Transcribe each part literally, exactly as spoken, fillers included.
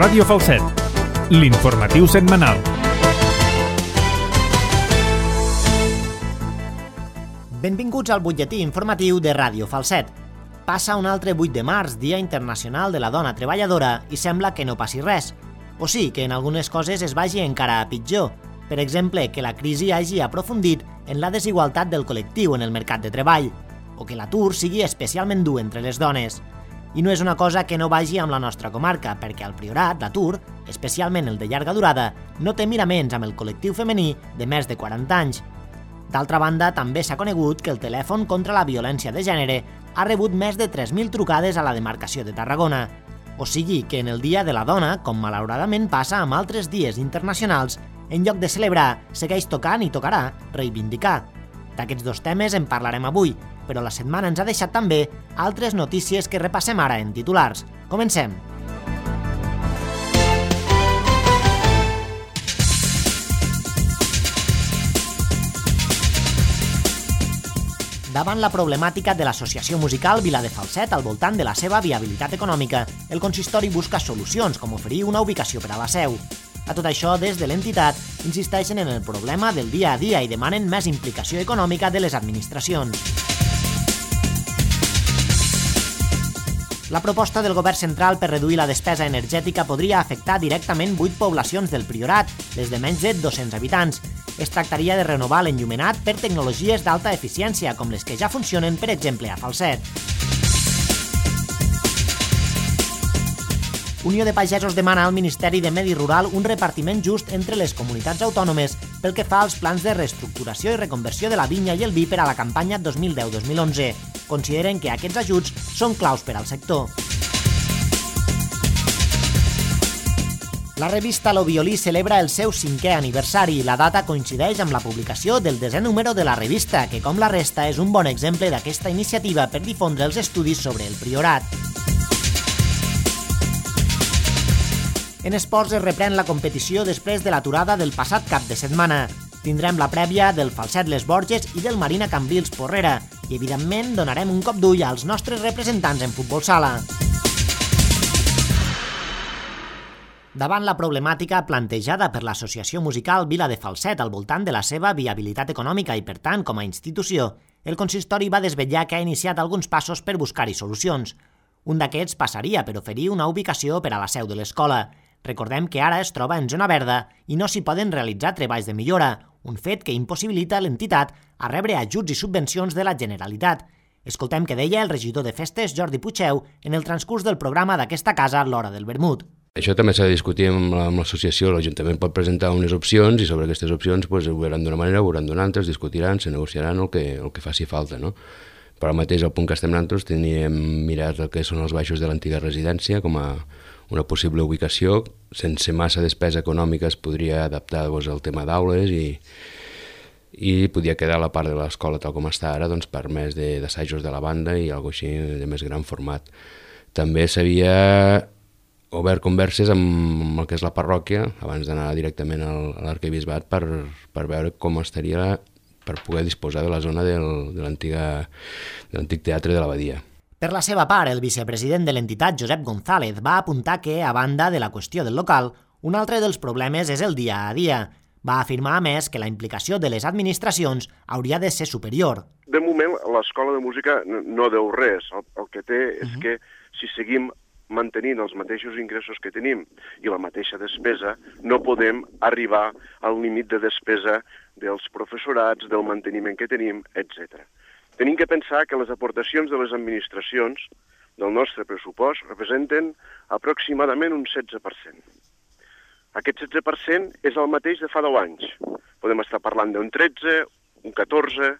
Ràdio Falset, l'informatiu setmanal. Benvinguts al butlletí informatiu de Ràdio Falset. Passa un altre vuit de març, Dia Internacional de la Dona Treballadora, i sembla que no passi res. O sí, que en algunes coses es vagi encara a pitjor. Per exemple, que la crisi hagi aprofundit en la desigualtat del col·lectiu en el mercat de treball, o que l'atur sigui especialment dur entre les dones. I no és una cosa que no vagi amb la nostra comarca, perquè al Priorat l'atur, especialment el de llarga durada, no té miraments amb el col·lectiu femení de més de quaranta anys. D'altra banda, també s'ha conegut que el telèfon contra la violència de gènere ha rebut més de tres mil trucades a la demarcació de Tarragona. O sigui que en el Dia de la Dona, com malauradament passa amb altres dies internacionals, en lloc de celebrar, segueix tocant i tocarà reivindicar. D'aquests dos temes en parlarem avui, però la setmana ens ha deixat també altres notícies que repassem ara en titulars. Comencem! Davant la problemàtica de l'associació musical Vila de Falset al voltant de la seva viabilitat econòmica, el consistori busca solucions com oferir una ubicació per a la seu. A tot això, des de l'entitat, insisteixen en el problema del dia a dia i demanen més implicació econòmica de les administracions. La proposta del govern central per reduir la despesa energètica podria afectar directament vuit poblacions del Priorat, les de menys de dos-cents habitants. Es tractaria de renovar l'enllumenat per tecnologies d'alta eficiència, com les que ja funcionen, per exemple, a Falset. Unió de Pagesos demana al Ministeri de Medi Rural un repartiment just entre les comunitats autònomes pel que fa als plans de reestructuració i reconversió de la vinya i el vi per a la campanya dos mil deu dos mil onze. Consideren que aquests ajuts són claus per al sector. La revista Lo Violí celebra el seu cinquè aniversari i la data coincideix amb la publicació del desè número de la revista, que com la resta és un bon exemple d'aquesta iniciativa per difondre els estudis sobre el Priorat. En esports es reprèn la competició després de l'aturada del passat cap de setmana. Tindrem la prèvia del Falset Les Borges i del Marina Cambrils Porrera i, evidentment, donarem un cop d'ull als nostres representants en futbol sala. Davant la problemàtica plantejada per l'associació musical Vila de Falset al voltant de la seva viabilitat econòmica i, per tant, com a institució, el consistori va desvetllar que ha iniciat alguns passos per buscar-hi solucions. Un d'aquests passaria per oferir una ubicació per a la seu de l'escola. Recordem que ara es troba en zona verda i no s'hi poden realitzar treballs de millora, un fet que impossibilita l'entitat a rebre ajuts i subvencions de la Generalitat. Escoltem què deia el regidor de Festes, Jordi Puigdeu, en el transcurs del programa d'aquesta casa l'Hora del Vermut. Això també s'ha de discutir amb l'associació, l'Ajuntament pot presentar unes opcions i sobre aquestes opcions pues, ho veuran d'una manera, ho veuran d'una altra, es discutiran, se negociaran el que, el que faci falta, no? Però al mateix, al punt que estem nosaltres, teníem mirat el que són els baixos de l'antiga residència com a una possible ubicació. Sense massa despesa econòmica es podria adaptar doncs, al tema d'aules i, i podia quedar la part de l'escola tal com està ara doncs, per més d'assajos de, de la banda i alguna cosa així de més gran format. També s'havia obert converses amb el que és la parròquia abans d'anar directament a l'arquebisbat per, per veure com estaria la per poder disposar de la zona del, de l'antic teatre de l'Abadia. Per la seva part, el vicepresident de l'entitat, Josep González, va apuntar que, a banda de la qüestió del local, un altre dels problemes és el dia a dia. Va afirmar, a més, que la implicació de les administracions hauria de ser superior. De moment, l'escola de música no deu res. El, el que té és uh-huh. que si seguim mantenint els mateixos ingressos que tenim i la mateixa despesa, no podem arribar al límit de despesa dels professorats, del manteniment que tenim, etcètera. Tenim que pensar que les aportacions de les administracions del nostre pressupost representen aproximadament un setze per cent. Aquest setze per cent és el mateix de fa deu anys. Podem estar parlant d'un tretze, un catorze,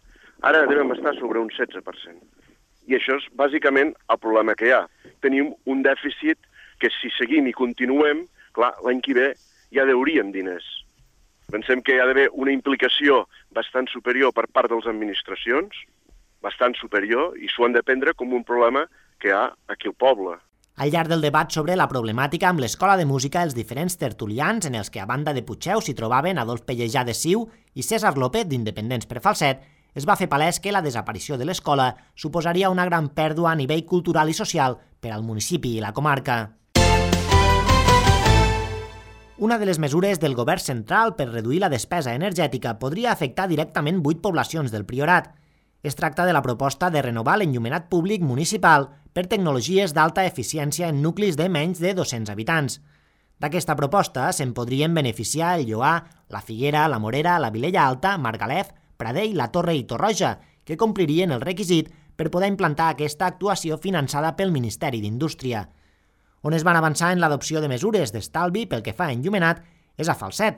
ara devem estar sobre un setze per cent. I això és bàsicament el problema que hi ha. Tenim un dèficit que si seguim i continuem, clar, l'any que ve ja deuríem diners. Pensem que hi ha d'haver una implicació bastant superior per part de les administracions, bastant superior, i s'ho han de prendre com un problema que hi ha aquí al poble. Al llarg del debat sobre la problemàtica amb l'Escola de Música, els diferents tertulians, en els que a banda de Puigdeu s'hi trobaven Adolf Pellejà de Siu i César López d'Independents per Falset, es va fer palès que la desaparició de l'escola suposaria una gran pèrdua a nivell cultural i social per al municipi i la comarca. Una de les mesures del govern central per reduir la despesa energètica podria afectar directament vuit poblacions del Priorat. Es tracta de la proposta de renovar l'enllumenat públic municipal per tecnologies d'alta eficiència en nuclis de menys de dos-cents habitants. D'aquesta proposta se'n podrien beneficiar el Lloar, la Figuera, la Morera, la Vilella Alta, Margalef, Pradell, la Torre i Torroja, que complirien el requisit per poder implantar aquesta actuació finançada pel Ministeri d'Indústria. On es van avançar en l'adopció de mesures d'estalvi pel que fa a enllumenat és a Falset,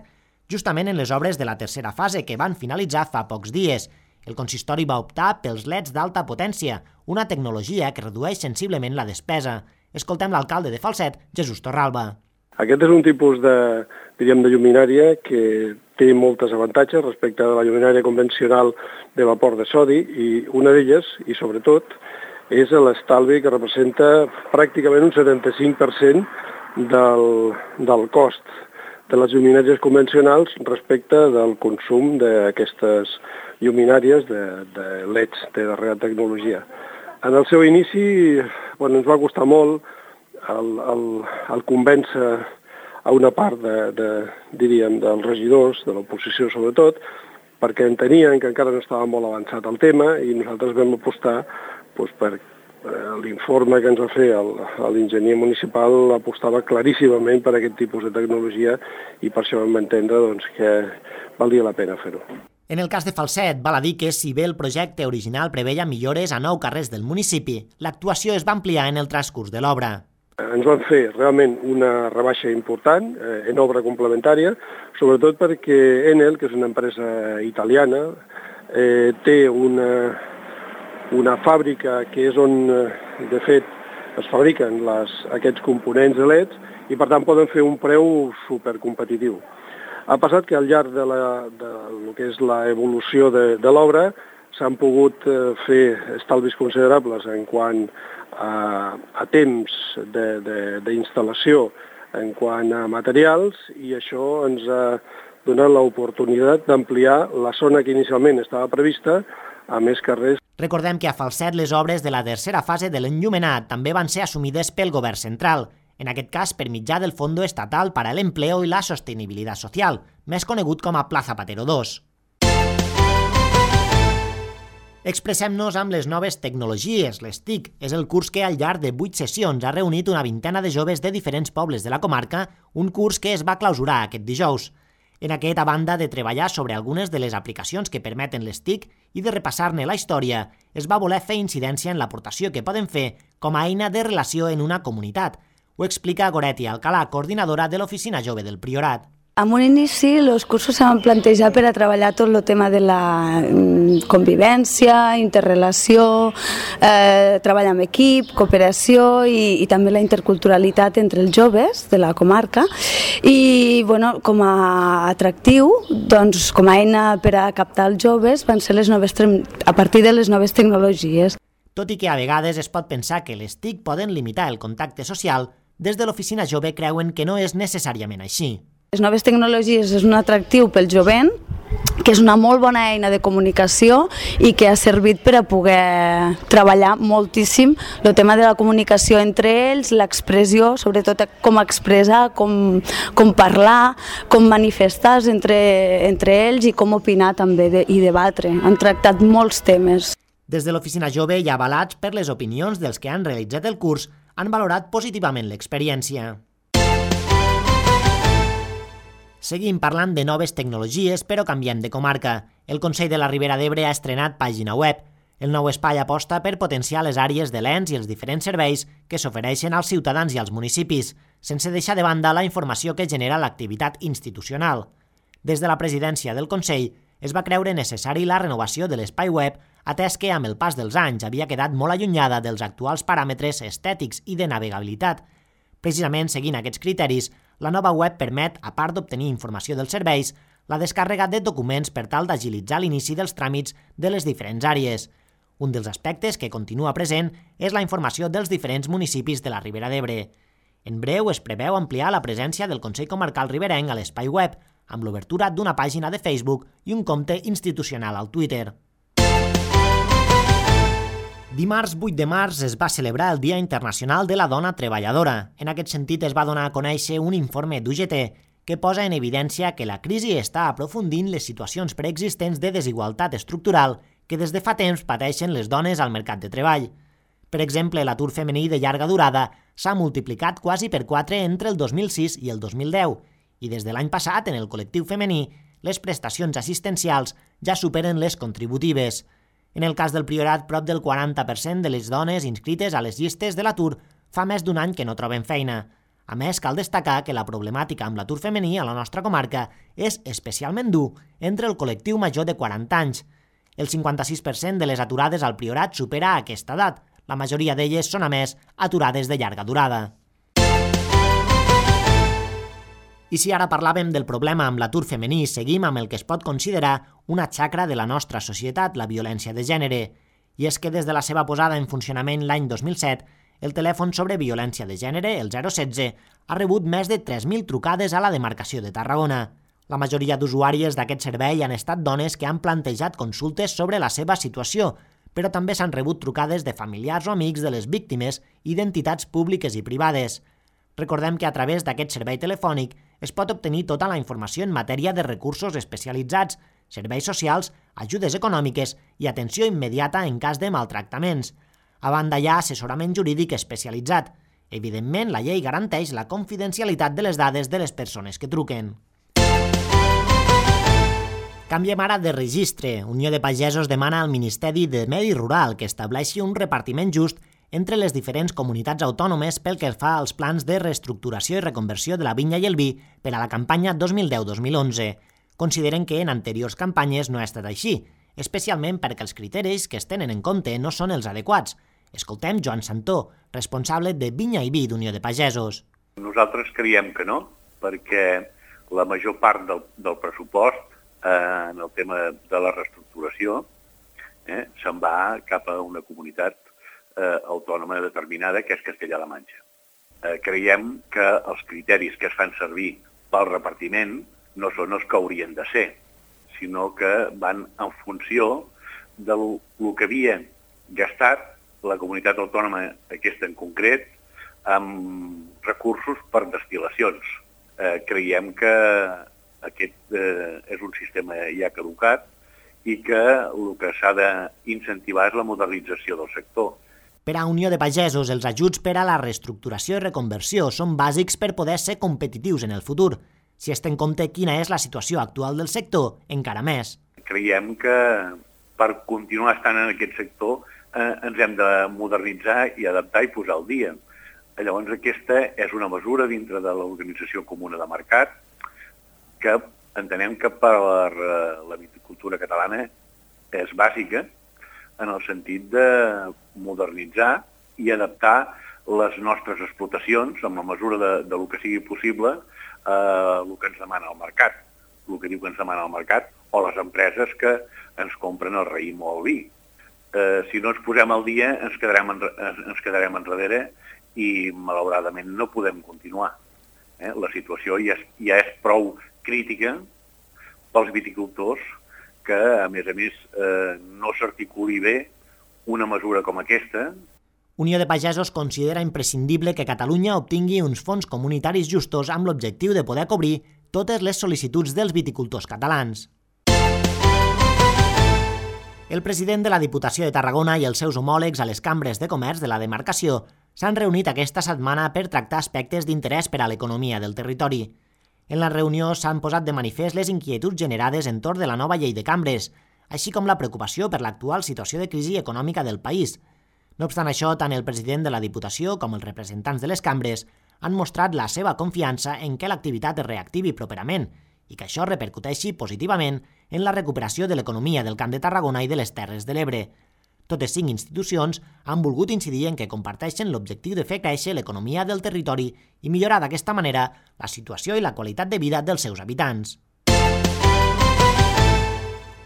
justament en les obres de la tercera fase que van finalitzar fa pocs dies. El consistori va optar pels leds d'alta potència, una tecnologia que redueix sensiblement la despesa. Escoltem l'alcalde de Falset, Jesús Torralba. Aquest és un tipus de, diríem, de lluminària que té moltes avantatges respecte a la lluminària convencional de vapor de sodi i una d'elles, i sobretot, és l'estalvi que representa pràcticament un setanta-cinc per cent del, del cost de les lluminàries convencionals respecte del consum d'aquestes lluminàries de, de L E Ds de darrera tecnologia. En el seu inici bueno, ens va costar molt el, el, el convèncer a una part de, de, diríem, dels regidors, de l'oposició sobretot, perquè entenien que encara no estava molt avançat el tema i nosaltres vam apostar doncs, per l'informe que ens va fer l'enginyer municipal apostava claríssimament per aquest tipus de tecnologia i per això vam entendre doncs, que valia la pena fer-ho. En el cas de Falset, val a dir que si bé el projecte original preveia millores a nou carrers del municipi, l'actuació es va ampliar en el transcurs de l'obra. Ens van fer realment una rebaixa important eh, en obra complementària, sobretot perquè Enel, que és una empresa italiana, eh, té una una fàbrica que és on, de fet, es fabriquen les, aquests components de L E Ds i, per tant, poden fer un preu supercompetitiu. Ha passat que al llarg de, la, de lo que és l'evolució de, de l'obra s'han pogut fer estalvis considerables en quant a, a temps d'instal·lació, en quant a materials, i això ens ha donat l'oportunitat d'ampliar la zona que inicialment estava prevista a més carrers. Recordem que a Falset les obres de la tercera fase de l'enllumenat també van ser assumides pel govern central, en aquest cas per mitjà del Fondo Estatal para el Empleo y la Sostenibilidad Social, més conegut com a Pla Zapatero dos. Expressem-nos amb les noves tecnologies. L'S T I C és el curs que al llarg de vuit sessions ha reunit una vintena de joves de diferents pobles de la comarca, un curs que es va clausurar aquest dijous. En aquest, a banda de treballar sobre algunes de les aplicacions que permeten l'S T I C i de repassar-ne la història, es va voler fer incidència en l'aportació que poden fer com a eina de relació en una comunitat. Ho explica Goretti Alcalà, coordinadora de l'Oficina Jove del Priorat. En un inici, els cursos s'han plantejat per a treballar tot el tema de la convivència, interrelació, eh, treball amb equip, cooperació i, i també la interculturalitat entre els joves de la comarca. I bueno, com a atractiu, doncs, com a eina per a captar els joves, van ser les noves, a partir de les noves tecnologies. Tot i que a vegades es pot pensar que les T I C poden limitar el contacte social, des de l'Oficina Jove creuen que no és necessàriament així. Les noves tecnologies és un atractiu pel jovent, que és una molt bona eina de comunicació i que ha servit per a poder treballar moltíssim el tema de la comunicació entre ells, l'expressió, sobretot com expressar, com, com parlar, com manifestar entre, entre ells i com opinar també de, i debatre. Han tractat molts temes. Des de l'Oficina Jove i avalats per les opinions dels que han realitzat el curs, han valorat positivament l'experiència. Seguim parlant de noves tecnologies, però canviem de comarca. El Consell de la Ribera d'Ebre ha estrenat pàgina web. El nou espai aposta per potenciar les àrees de l'ens i els diferents serveis que s'ofereixen als ciutadans i als municipis, sense deixar de banda la informació que genera l'activitat institucional. Des de la presidència del Consell es va creure necessari la renovació de l'espai web, atès que amb el pas dels anys havia quedat molt allunyada dels actuals paràmetres estètics i de navegabilitat. Precisament seguint aquests criteris, la nova web permet, a part d'obtenir informació dels serveis, la descàrrega de documents per tal d'agilitzar l'inici dels tràmits de les diferents àrees. Un dels aspectes que continua present és la informació dels diferents municipis de la Ribera d'Ebre. En breu es preveu ampliar la presència del Consell Comarcal Riberenc a l'espai web, amb l'obertura d'una pàgina de Facebook i un compte institucional al Twitter. Dimarts vuit de març es va celebrar el Dia Internacional de la Dona Treballadora. En aquest sentit es va donar a conèixer un informe d'U G T que posa en evidència que la crisi està aprofundint les situacions preexistents de desigualtat estructural que des de fa temps pateixen les dones al mercat de treball. Per exemple, l'atur femení de llarga durada s'ha multiplicat quasi per quatre entre el dos mil sis i el dos mil deu, i des de l'any passat, en el col·lectiu femení, les prestacions assistencials ja superen les contributives. En el cas del Priorat, prop del quaranta per cent de les dones inscrites a les llistes de l'atur fa més d'un any que no troben feina. A més, cal destacar que la problemàtica amb l'atur femení a la nostra comarca és especialment dur entre el col·lectiu major de quaranta anys. El cinquanta-sis per cent de les aturades al Priorat supera aquesta edat. La majoria d'elles són, a més, aturades de llarga durada. I si ara parlàvem del problema amb l'atur femení, seguim amb el que es pot considerar una xacra de la nostra societat, la violència de gènere. I és que des de la seva posada en funcionament l'any dos mil set, el telèfon sobre violència de gènere, el zero setze, ha rebut més de tres mil trucades a la demarcació de Tarragona. La majoria d'usuàries d'aquest servei han estat dones que han plantejat consultes sobre la seva situació, però també s'han rebut trucades de familiars o amics de les víctimes i d'entitats públiques i privades. Recordem que a través d'aquest servei telefònic es pot obtenir tota la informació en matèria de recursos especialitzats, serveis socials, ajudes econòmiques i atenció immediata en cas de maltractaments. A banda, hi ha assessorament jurídic especialitzat. Evidentment, la llei garanteix la confidencialitat de les dades de les persones que truquen. Canviem ara de registre. Unió de Pagesos demana al Ministeri de Medi Rural que estableixi un repartiment just entre les diferents comunitats autònomes pel que fa als plans de reestructuració i reconversió de la vinya i el vi per a la campanya dos mil deu dos mil onze. Consideren que en anteriors campanyes no ha estat així, especialment perquè els criteris que es tenen en compte no són els adequats. Escoltem Joan Santó, responsable de Vinya i Vi d'Unió de Pagesos. Nosaltres creiem que no, perquè la major part del, del pressupost eh, en el tema de la reestructuració eh, se'n va cap a una comunitat eh, autònoma determinada, que és Castella-La Manxa. Eh, creiem que els criteris que es fan servir pel repartiment no són els que haurien de ser, sinó que van en funció del que havia gastat la comunitat autònoma aquesta en concret amb recursos per destil·lacions. Eh, creiem que aquest eh, és un sistema ja caducat i que el que s'ha d'incentivar és la modernització del sector. Per a Unió de Pagesos, els ajuts per a la reestructuració i reconversió són bàsics per poder ser competitius en el futur. Si es té en compte quina és la situació actual del sector, encara més. Creiem que per continuar estant en aquest sector eh, ens hem de modernitzar i adaptar i posar al dia. Llavors aquesta és una mesura dintre de l'Organització Comuna de Mercat que entenem que per a la viticultura catalana és bàsica en el sentit de modernitzar i adaptar les nostres explotacions en la mesura de, de lo que sigui possible a el que ens demana el mercat, el que diu que ens demana el mercat o les empreses que ens compren el raïm o el vi. Eh, si no ens posem al dia ens quedarem, en, ens quedarem enrere i malauradament no podem continuar. Eh? La situació ja és, ja és prou crítica pels viticultors que, a més a més, eh, no s'articuli bé una mesura com aquesta. Unió de Pagesos considera imprescindible que Catalunya obtingui uns fons comunitaris justos amb l'objectiu de poder cobrir totes les sol·licituds dels viticultors catalans. El president de la Diputació de Tarragona i els seus homòlegs a les cambres de comerç de la demarcació s'han reunit aquesta setmana per tractar aspectes d'interès per a l'economia del territori. En la reunió s'han posat de manifest les inquietuds generades entorn de la nova llei de cambres, així com la preocupació per l'actual situació de crisi econòmica del país. No obstant això, tant el president de la Diputació com els representants de les cambres han mostrat la seva confiança en què l'activitat es reactivi properament i que això repercuteixi positivament en la recuperació de l'economia del Camp de Tarragona i de les Terres de l'Ebre. Totes cinc institucions han volgut incidir en que comparteixen l'objectiu de fer créixer l'economia del territori i millorar d'aquesta manera la situació i la qualitat de vida dels seus habitants.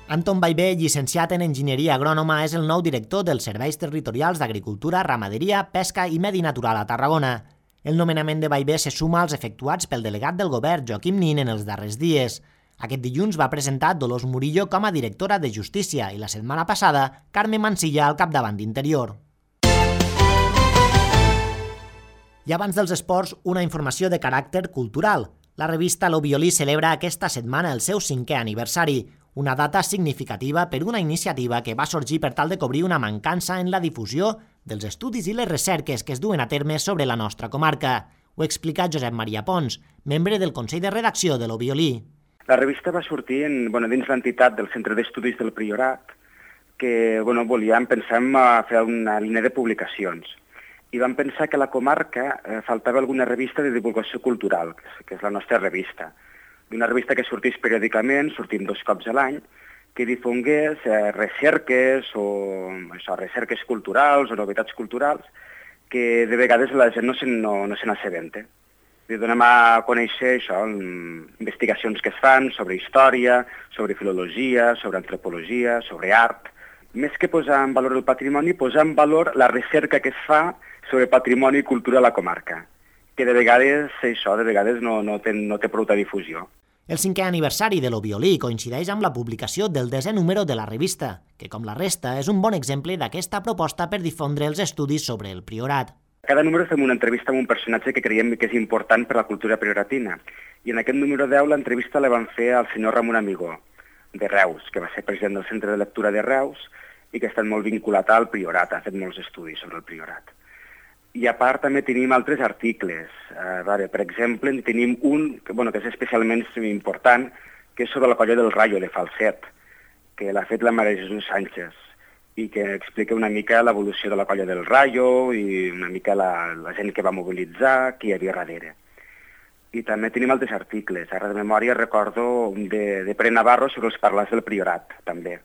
Anton Ballbé, llicenciat en Enginyeria Agrònoma, és el nou director dels Serveis Territorials d'Agricultura, Ramaderia, Pesca i Medi Natural a Tarragona. El nomenament de Ballbé se suma als efectuats pel delegat del govern, Joaquim Nin, en els darrers dies. Aquest dilluns va presentar Dolors Murillo com a directora de Justícia i la setmana passada Carme Mansilla al capdavant d'Interior. I abans dels esports, una informació de caràcter cultural. La revista Lo Violí celebra aquesta setmana el seu cinquè aniversari, una data significativa per una iniciativa que va sorgir per tal de cobrir una mancança en la difusió dels estudis i les recerques que es duen a terme sobre la nostra comarca. Ho explica Josep Maria Pons, membre del Consell de Redacció de Lo Violí. La revista va sortir en, bueno, dins l'entitat del Centre d'Estudis del Priorat, que bueno, volíem, pensem, a fer una línia de publicacions. I vam pensar que a la comarca eh, faltava alguna revista de divulgació cultural, que és la nostra revista. D'una revista que sortís periòdicament, sortim dos cops a l'any, que difongués eh, recerques o això, recerques culturals o novetats culturals que de vegades la gent no se, no, no se n'assabenta. I donem a conèixer això, investigacions que es fan sobre història, sobre filologia, sobre antropologia, sobre art. Més que posar en valor el patrimoni, posar en valor la recerca que es fa sobre patrimoni i cultura a la comarca, que de vegades això de vegades no, no, té, no té prou difusió. El cinquè aniversari de Lo Violí coincideix amb la publicació del desè número de la revista, que com la resta és un bon exemple d'aquesta proposta per difondre els estudis sobre el Priorat. Cada número fem una entrevista amb un personatge que creiem que és important per a la cultura prioratina. I en aquest número deu l'entrevista la van fer al senyor Ramon Amigó, de Reus, que va ser president del Centre de Lectura de Reus i que ha estat molt vinculat al Priorat, ha fet molts estudis sobre el Priorat. I a part també tenim altres articles. Uh, vale, per exemple, en tenim un que, bueno, que és especialment important, que és sobre la colla del Rayo de Falset, que l'ha fet la Maria Jesús Sánchez, i que explica una mica l'evolució de la colla del Rayo i una mica la, la gent que va mobilitzar, qui hi havia darrere. I també tenim altres articles. Ara de memòria recordo un de, de Pere Navarro sobre els parlars del Priorat, també,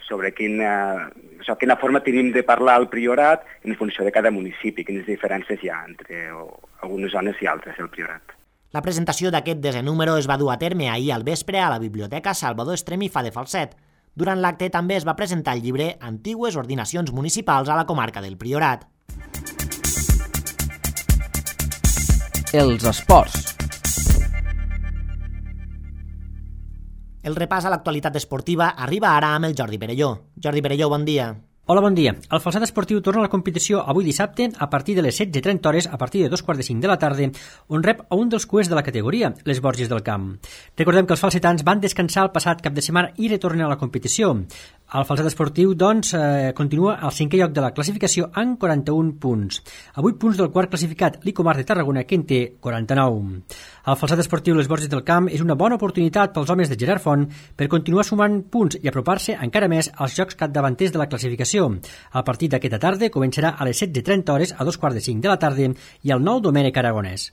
sobre quina, això, quina forma tenim de parlar al Priorat en funció de cada municipi, quines diferències hi ha entre o, algunes zones i altres del Priorat. La presentació d'aquest desè número es va dur a terme ahir al vespre a la Biblioteca Salvador Estremifa de Falset. Durant l'acte també es va presentar el llibre Antigues ordinacions municipals a la comarca del Priorat. Els esports. El repàs a l'actualitat esportiva arriba ara amb el Jordi Perelló. Jordi Perelló, bon dia. Hola, bon dia. El Falset Esportiu torna a la competició avui dissabte a partir de les setze i trenta hores, a partir de dos quarts de cinc de la tarda, on rep a un dels cuers de la categoria, les Borges del Camp. Recordem que els falsetans van descansar el passat cap de setmana i retornen a la competició. El Falset Esportiu, doncs, eh, continua al cinquè lloc de la classificació amb quaranta-un punts. A vuit punts del quart classificat, l'Icomar de Tarragona, que en té quaranta-nou. El Falset Esportiu Les Borges del Camp és una bona oportunitat pels homes de Gerard Font per continuar sumant punts i apropar-se encara més als jocs capdavanters de la classificació. El partit d'aquesta tarda començarà a les setze i trenta hores a dos quarts de cinc de la tarda i al nou Domènec Aragonès.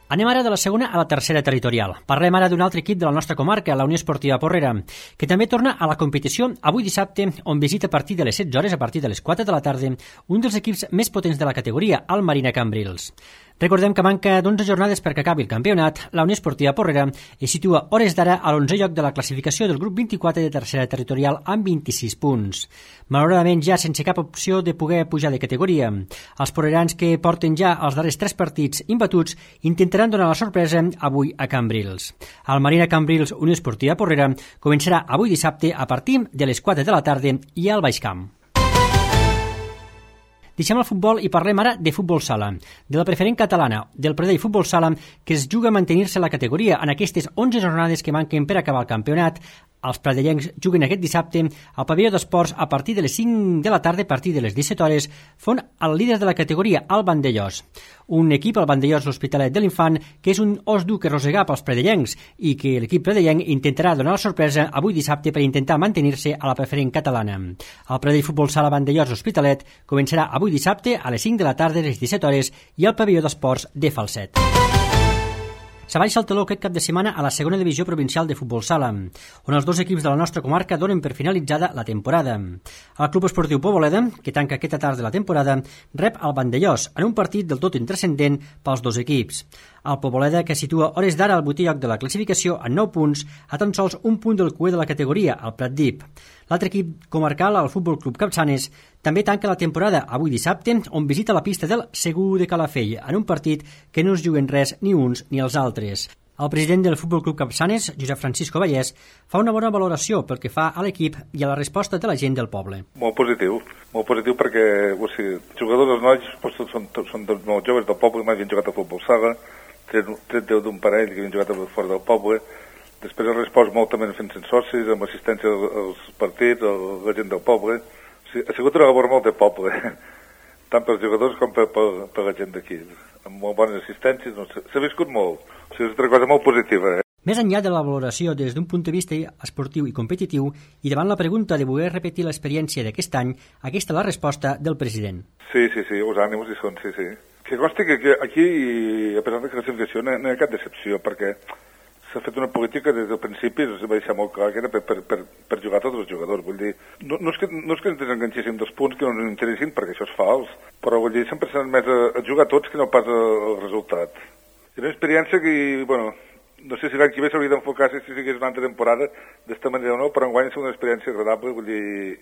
Anem ara de la segona a la tercera territorial. Parlem ara d'un altre equip de la nostra comarca, la Unió Esportiva Porrera, que també torna a la competició avui dissabte, on visita a partir de les setze hores, a partir de les quatre de la tarda, un dels equips més potents de la categoria, el Marina Cambrils. Recordem que manca d'onze jornades perquè acabi el campionat. La Unió Esportiva Porrera es situa hores d'ara a l'onzè lloc de la classificació del grup vint-i-quatre de tercera territorial amb vint-i-sis punts. Malauradament ja sense cap opció de poder pujar de categoria. Els porrerans, que porten ja els darrers tres partits imbatuts, intentaran donar la sorpresa avui a Cambrils. El Marina Cambrils Unió Esportiva Porrera començarà avui dissabte a partir de les quatre de la tarda i al Baix Camp. Deixem el futbol i parlem ara de futbol sala, de la preferent catalana, del Pradell Futbol Sala, que es juga a mantenir-se la categoria en aquestes onze jornades que manquen per acabar el campionat. Els pradellencs juguen aquest dissabte al pavelló d'esports a partir de les cinc de la tarda, a partir de les disset hores, font el líder de la categoria, el Vandellós. Un equip, el Vandellós l'Hospitalet de l'Infant, que és un os dur que rosegar pels pradellencs i que l'equip pradellenc intentarà donar la sorpresa avui dissabte per intentar mantenir-se a la preferent catalana. El Pradell Futbol Sala Vandellós Hospitalet començarà avui dissabte a les cinc de la tarda, a les disset hores, i al pavelló d'esports de Falset. S'abaixa el teló aquest cap de setmana a la segona divisió provincial de futbol sala, on els dos equips de la nostra comarca donen per finalitzada la temporada. El Club Esportiu Poboleda, que tanca aquesta tarda la temporada, rep el Vandellós en un partit del tot intrascendent pels dos equips. El Poboleda, que situa hores d'ara al vuitè lloc de la classificació en nou punts, a tan sols un punt del cuer de la categoria, el Pratdip. L'altre equip comarcal, el Futbol Club Capçanes, també tanca la temporada avui dissabte, on visita la pista del Segur de Calafell, en un partit que no es juguen res ni uns ni els altres. El president del Futbol Club Capçanes, Josep Francisco Vallès, fa una bona valoració pel que fa a l'equip i a la resposta de la gent del poble. Molt positiu, molt positiu perquè o sigui, jugadors els nois doncs, són, són, són molt joves del poble, mai han jugat a futbol sala, tret deu d'un parell que havien jugat fora del poble. Després ha respost moltament fent socis, amb assistència als partits, a la gent del poble. O sigui, ha sigut una labor molt de poble, tant pels jugadors com per, per, per la gent d'aquí. Amb molt bones assistències, no, s'ha viscut molt. O sigui, és una cosa molt positiva. Eh? Més enllà de la valoració des d'un punt de vista esportiu i competitiu, i davant la pregunta de voler repetir l'experiència d'aquest any, aquesta és la resposta del president. Sí, sí, sí, els ànims hi són, sí, sí. Que consti que aquí, a pesar de la classificació, no hi ha cap decepció, perquè s'ha fet una política des del principi, es va deixar molt clar que era per, per, per, per jugar tots els jugadors. Vull dir, no, no, és que, no és que ens desenganxéssim dels punts que no ens interessin, perquè això és fals, però vull dir, sempre s'han més a, a jugar tots que no pas el resultat. És una experiència que, bueno, no sé si l'any que ve s'hauria d'enfocar si sigués una altra temporada d'esta manera o no, però enguany és una experiència agradable, vull dir,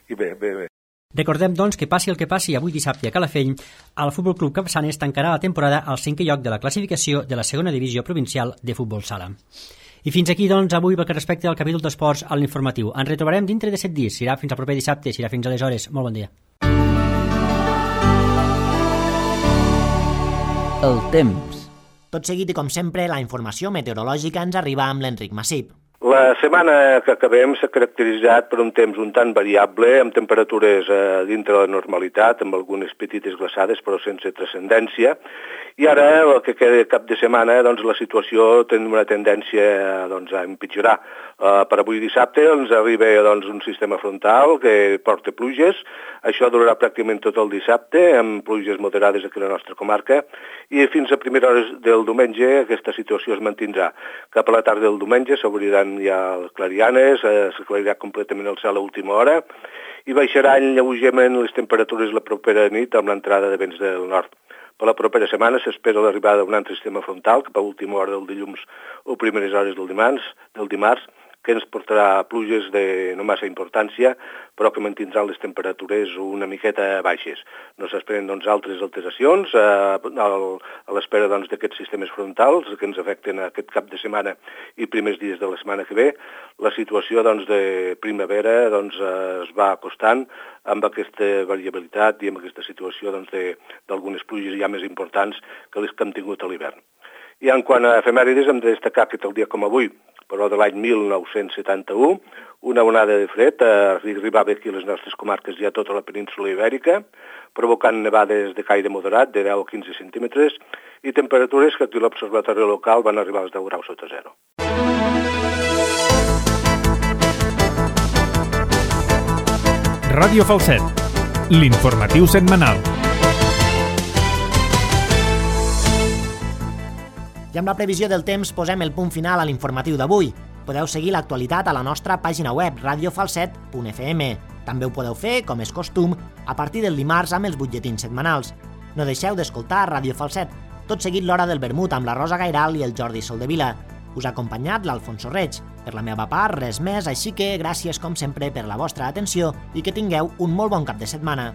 i bé, bé, bé. Recordem, doncs, que passi el que passi avui dissabte a Calafell, el Futbol Club Capçanes tancarà la temporada al cinquè lloc de la classificació de la segona divisió provincial de futbol sala. I fins aquí, doncs, avui pel que respecta al capítol d'esports a l'informatiu. Ens retrobarem dintre de set dies. Serà fins al proper dissabte, serà fins aleshores. Molt bon dia. El temps. Tot seguit i com sempre, la informació meteorològica ens arriba amb l'Enric Massip. La setmana que acabem s'ha caracteritzat per un temps un tant variable, amb temperatures eh, dintre de la normalitat, amb algunes petites glaçades però sense transcendència, i ara, el que queda cap de setmana, doncs, la situació té una tendència doncs, a empitjorar. Uh, per avui dissabte ens arriba doncs, un sistema frontal que porta pluges, això durarà pràcticament tot el dissabte, amb pluges moderades aquí a la nostra comarca, i fins a primeres hores del diumenge aquesta situació es mantindrà. Cap a la tarda del diumenge s'obriran ja les clarianes, eh, s'aclarirà completament el cel a última hora, i baixaran lleugerament les temperatures la propera nit amb l'entrada de vents del nord. Per la propera setmana s'espera l'arribada d'un altre sistema frontal cap a última hora del dilluns o primeres hores del dimarts, del dimarts que ens portarà pluges de no massa importància, però que mantindran les temperatures una miqueta baixes. No s'esperen doncs, altres alteracions eh, a l'espera doncs, d'aquests sistemes frontals que ens afecten aquest cap de setmana i primers dies de la setmana que ve. La situació doncs, de primavera doncs, es va acostant amb aquesta variabilitat i amb aquesta situació doncs, d'algunes pluges ja més importants que les que hem tingut a l'hivern. I en quant a efemèrides hem de destacar que tal dia com avui, però de l'any mil nou-cents setanta-u, una onada de fred arribava aquí a les nostres comarques i a tota la península ibèrica, provocant nevades de caire moderat de deu a quinze centímetres i temperatures que aquí a l'observatori local van arribar als deu graus sota zero. Ràdio Falset, l'informatiu setmanal. I amb la previsió del temps posem el punt final a l'informatiu d'avui. Podeu seguir l'actualitat a la nostra pàgina web radio falset punt f m. També ho podeu fer, com és costum, a partir del dimarts amb els butlletins setmanals. No deixeu d'escoltar Ràdio Falset, tot seguit l'hora del vermut amb la Rosa Gairal i el Jordi Soldevila. Us ha acompanyat l'Alfonso Reig. Per la meva part, res més, així que gràcies com sempre per la vostra atenció i que tingueu un molt bon cap de setmana.